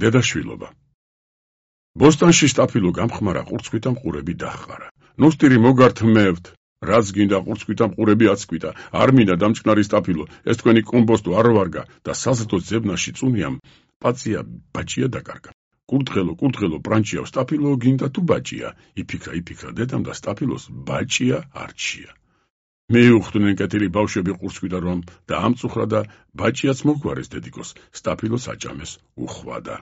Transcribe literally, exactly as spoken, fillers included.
დედაშვილობა. ბოსტანში სტაფილო გამხმარა ყურცხვითა მყურები დაჰყარა. ნუსტირი მოგართმევთ, რაც გინდა ყურცხვითა მყურები აცკვიტა, არ მინდა დამჭკნარი სტაფილო, ეს თქვენი კომბოსტო არ ვარგა და საზრდო ძებნაში წუნიამ პაცია ბაჭია დაკარგა. კურთხელო, კურთხელო, პრანჩიავ სტაფილო გინდა თუ ბაჭია, იფიქრა, იფიქრა დედამ და სტაფილოს ბაჭია არჩია. მიუხვდნენ კეთილი ბავშვები ყურცხვიდა რომ და ამწუხრა და ბაჭიაც მოგვარეს დედიკოს, სტაფილოს აჭამეს უხვადა.